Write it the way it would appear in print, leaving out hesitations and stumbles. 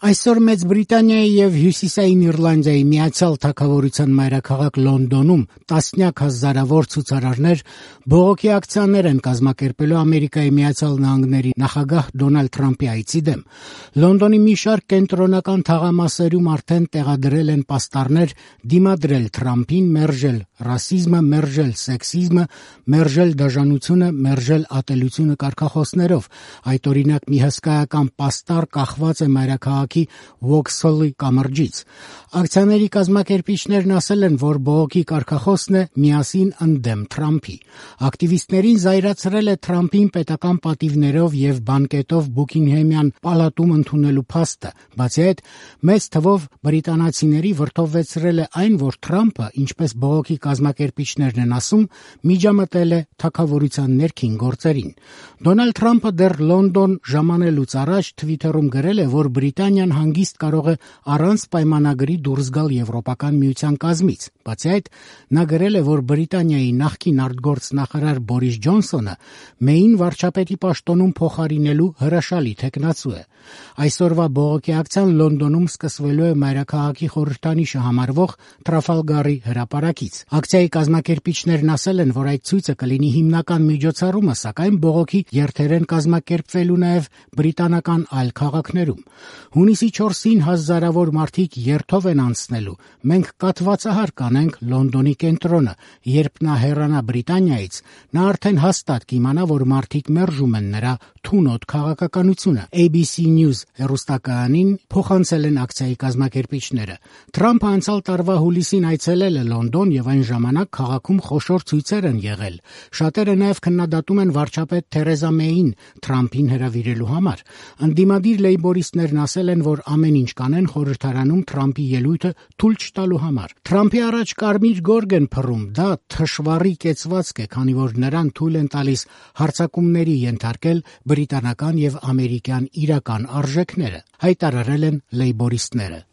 Այսօր Մեծ Բրիտանիայի եւ Հյուսիսային Իռլանդիայի Միացյալ Թագավորության մայրաքաղաք Լոնդոնում տասնյակ հազարավոր ցուցարարներ բողոքի ակցիաներ են կազմակերպելու Ամերիկայի Միացյալ Նահանգների նախագահ Դոնալդ Թրամփի այցի դեմ։ Լոնդոնի մի շարք կենտրոնական թաղամասերում արդեն տեղադրել են պաստառներ դիմադրել Թրամփին, մերժել ռասիզմը, մերժել սեքսիզմը, մերժել դաժանությունը, մերժել ատելությունը կարգախոսներով։ Այդ օրինակ մի հսկայական պաստառ կախված է մայրաքաղաքի Վոքսհոլի կամրջից։ Ակցիաների կազմակերպիչներն ասել են, որ բողոքի կարգախոսն է «Միասին ընդդեմ Թրամփի»։ Ակտիվիստներին զայրացրել է Թրամփին պետական պատիվներով եւ բանկետով Բուքինգհեմյան պալատում ընդունելու փաստը։ Բացի այդ, մեծ թվով բրիտանացիների վրդովվեցրել է այն, որ Թրամփը, ինչպես բողոքի կազմակերպիչներն են ասում, միջամտել է թագավորության ներքին գործերին։ Դոնալդ Թրամփը դեռ Լոնդոն ժամանելուց առաջ Թվիթերում գրել է, որ Բրիտանիան հանգիստ կարող է առանց պայմանագրի դուրս գալ Եվրոպական միության կազմից։ Բացի այդ, նա գրել է, որ Բրիտանիայի նախկին արտգործնախարար Բորիս Ջոնսոնը Մեյին վարչապետի պաշտոնում փոխարինելու հրաշալի թեկնածու է։ Այսօրվա բողոքի ակցիան Լոնդոնում սկսվելու է մայրաքաղաքի խորհրդանիշը համարվող Տրաֆալգարի հրապարակից։ Ակցիայի կազմակերպիչներն ասել են, որ այդ ցույցը կլինի հիմնական միջոցառումը, սակայն բողոքի երթեր են կազմակերպվելու նաև բրիտանական այլ քաղաքներում։ Հունիսի 4-ին հազարավոր մարդիկ երթով են անցնելու։ Մենք կաթվածահար կանենք Լոնդոնի կենտրոնը։ Երբ նա հեռանա Բրիտանիայից, նա արդեն հաստատ կիմանա, որ մարդիկ մերժում են նրա թունոտ քաղաքականությունը։ ABC News հեռուստակայանին փոխանցել են ակցիայի կազմակերպիչները։ Թրամփը անցյալ տարվա հուլիսին այցելել է Լոնդոն եւ այն ժամանակ քաղաքում խոշոր ցույցեր են եղել։ Շատերը նաեւ քննադատում են վարչապետ Թերեզա Մեյին Թրամփին հրավիրելու համար։ Ընդդիմադիր լեյբորիստներն ասել են, որ ամեն ինչ կանեն խորհրդարանում Թրամփի ելույթը թույլ չտալու համար։ Թրամփի առաջ կարմիր գորգ են փռում, դա թշվառի կեցվածք է, քանի որ նրան թույլ են տալիս հարձակումների ենթարկել բրիտանական եւ ամերիկյան իրական արժեքները, հայտարարել են լեյբորիստները։